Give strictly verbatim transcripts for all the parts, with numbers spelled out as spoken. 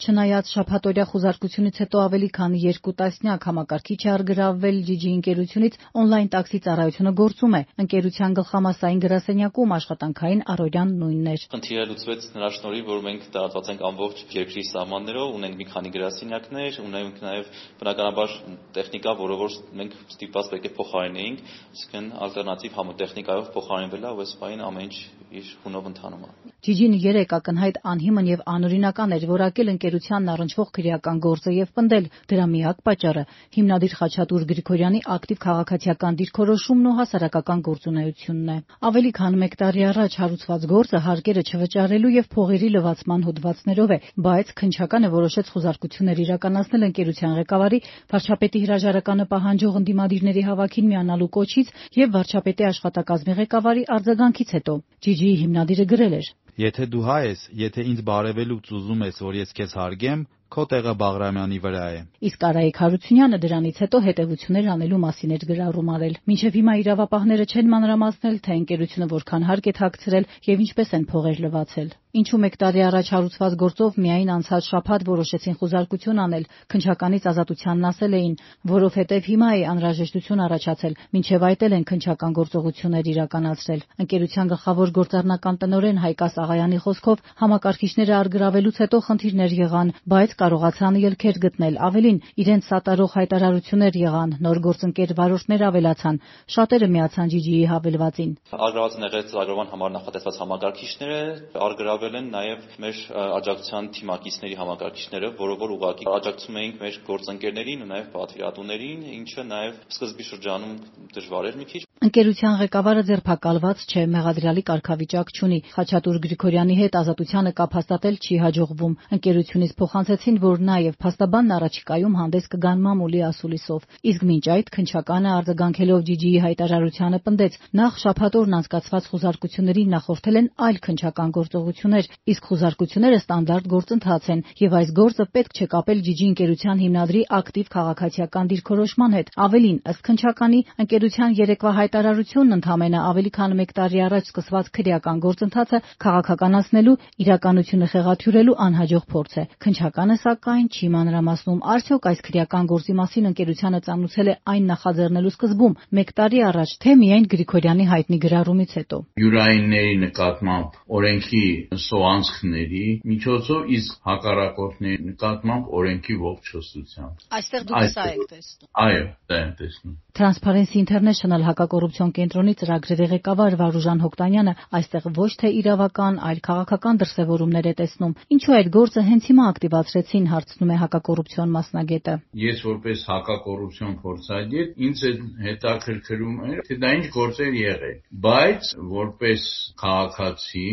Չնայած շաբաթօրյա խուզարկությունից հետո ավելի քան երկու տասնյակ համակարգիչ է առգրավվել Ջիջի ընկերությունից, օնլայն տաքսի ծառայությունը գործում է։ Ընկերության գլխամասային գրասենյակում աշխատանքային առօրյան նույնն էր։ Խնդիրը լուծվեց նրա շնորհիվ, որ մենք տարածված ենք ամբողջ երկրի սահմաններով, ունենք մի քանի գրասենյակներ, ունենք նաև բնականաբար տեխնիկա, որը որ մենք ստիպված պետք է փոխարինեինք, այսինքն ալտերնատիվ համատեխնիկայով փոխարինվել է, ու այս պահին ամեն ինչ իր հունով ընթանում է։ Ջիջին երեք ակնհայտ անհիմն եւ անօրինական էր որակել ընկերությանն առնչվող քրեական գործը եւ պնդել դրա միակ պատճառը հիմնադիր Խաչատուր Գրիգորյանի ակտիվ քաղաքացիական դիրքորոշումն ու հասարակական գործունեությունն է։ Ավելի քան մեկ տարի առաջ հարուցված գործը հարկերը չվճարելու եւ փողերի լվացման հոդվածներով է, բայց քննչականը որոշեց խուզարկություններ իրականացնել ընկերության ղեկավարի, վարչապետի հրաժարականը պահանջող ընդդիմադիրների հավաքին միանալու կոչից եւ վարչապետի աշխատակազմի ղեկավարի արձագանքից հետո։ Ջիջիի հիմնադիրը գրել էր. Եթե դու հայ ես, եթե ինձ բարևելուց ուզում ես, որ ես քեզ հարգեմ, քո տեղը Բաղրամյանի վրա է։ Իսկ Արայիկ Հարությունյանը դրանից հետո հետևություններ անելու մասին էր գրառում արել։ Մինչև հիմա իրավապահները չեն մանրամասնել, թե ընկերությունը որքան հարկ է թաքցրել եւ ինչպես են փողեր լվացել։ Ինչու մեկ տարի առաջ հարուցված գործով միայն անցած շաբաթ որոշեցին խուզարկություն անել, քննչականից ազատությանն ասել էին, որովհետև հիմա է անհրաժեշտություն առաջացել, մինչև այդ էլ են քննչական գործողություններ իրականացրել։ Ընկերության գլխավոր գործառնական տնօրեն Հայկաս Աղայանի խոսքով համակարգիչները առգրավելուց հետո խնդիրներ եղան, բայց կարողացան ելքեր գտնել, ավելին իրենց սատարող հայտարարություններ եղան, նոր գործընկեր վարորդներ ավելացան, շատերը միացան Ջիջիի հավելվածին։ Առգրաված են եղել ծրագրման համար նախատեսված համակարգիչները, առգրավել են նաև մեր աջակցության թիմակիցների համակարգիչները, որով որ ուղղակի աջակցում էինք մեր գործընկերներին ու նաև պատվիրատուներին, ինչը նաև սկզբի շրջանում դժվար էր մի քիչ։ Ընկերության ղեկավարը ձերբակալված չէ, մեղադրյալի կարգավիճակ չունի։ Խաչատուր Գրիգորյանի հետ ազատությանը կապ հաստատել չի հաջողվում։ Ընկերությունից փոխանցեցին, որ նաև փաստաբանն առաջիկայում հանդես կգան մամուլի ասուլիսով։ Իսկ մինչ այդ քննչականը արձագանքելով Ջիջիի հայտարարությանը պնդեց, նախ շաբաթօրն անցկացված խուզարկություններին նախորդել են այլ քննչական գործողություններ, իսկ խուզարկությունները ստանդարտ գործընթաց են, եւ այս գործը պետք չէ կապել Ջիջի ընկերության հիմնադրի ակտիվ քաղաքացիական դիրքորոշման հետ։ Ավելին, ըստ քննչականի, ընկերության երեկվա հայտարարությունն ընդամենը ավելի քան մեկ տարի առաջ սկսված քրեական գործընթացը քաղաքականացնելու, իրականությունը խեղաթյուրելու անհաջող փորձ է։ Քննչականը սակայն չի մանրամասնում, արդյոք այս քրեական գործի մասին ընկերությանը ծանուցել է այն նախաձեռնելու սկզբում, մեկ տարի առաջ, թե միայն Գրիգորյանի հայտնի գրառումից հետո։ Յուրայինների նկատմամբ օրենքի սոանցքների միջոցով, իսկ հակառակորդների նկատմամբ օրենքի ողջոցությամբ։ Այստեղ դուք սա եք տեսնում։ Այո, դա եմ տեսնում։ Transparency International հակակոռուպցիոն կենտրոնի ծրագրերի ղեկավար Վարուժան Հոկտանյանը այստեղ ոչ թե իրավական, այլ քաղաքական դրսևորումներ է տեսնում։ Ինչու այդ գործը հենց հիմա ակտիվացրեցին, հարցնում է հակակոռուպցիոն մասնագետը։ Ես որպես հակակոռուպցիոն փորձագետ ինձ հետաքրքրում էր, թե դա ինչ գործեր եղել, բայց որպես քաղաքացի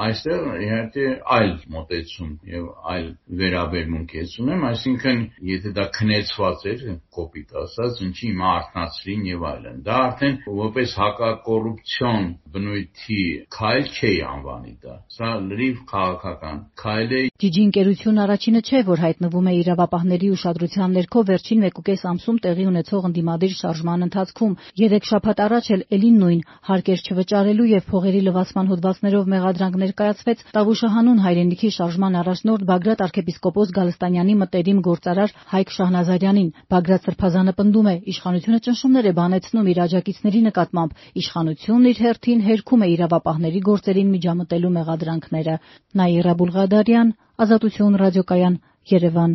այստեղ իհարկե այլ մոտեցում եւ այլ վերաբերմունք ես ունեմ, այսինքն եթե դա քնեցված էր, կոպիտ ասած, ինչի հիմա արթնացրին եւ այլն, դա արդեն որպես հակակոռուպցիոն բնույթի քայլ չէ անվանի դա, սա լրիվ քաղաքական քայլ է։ Ջիջի ընկերությունն առաջինը չէ, որ հայտնվում է իրավապահների ուշադրության ներքո վերջին մեկուկես ամսում տեղի ունեցող ընդդիմադիր շարժման ընթացքում։ Երեք շաբաթ առաջ էլ էլին նույն հարկեր չվճարելու եւ փողերի լվացման հոդվածներով մեղադրանք ներկայացվեց Տավուշահանուն հայրենիքի շարժման առաջնորդ Բագրատ arczepiskopos Գալստանյանի մտերիմ գործարար Հայկ Շահնազարյանին։ Բագրատ Սրբազանը պնդում է, իշխանությունը ճնշումներ է բանեցնում իր աջակիցների նկատմամբ, իշխանությունն իր հերթին հերքում է իրավապահների գործերին միջամտելու մեղադրանքները։ Նաիրա Բուլղադարյան, Ազատություն ռադիոկայան, Երևան։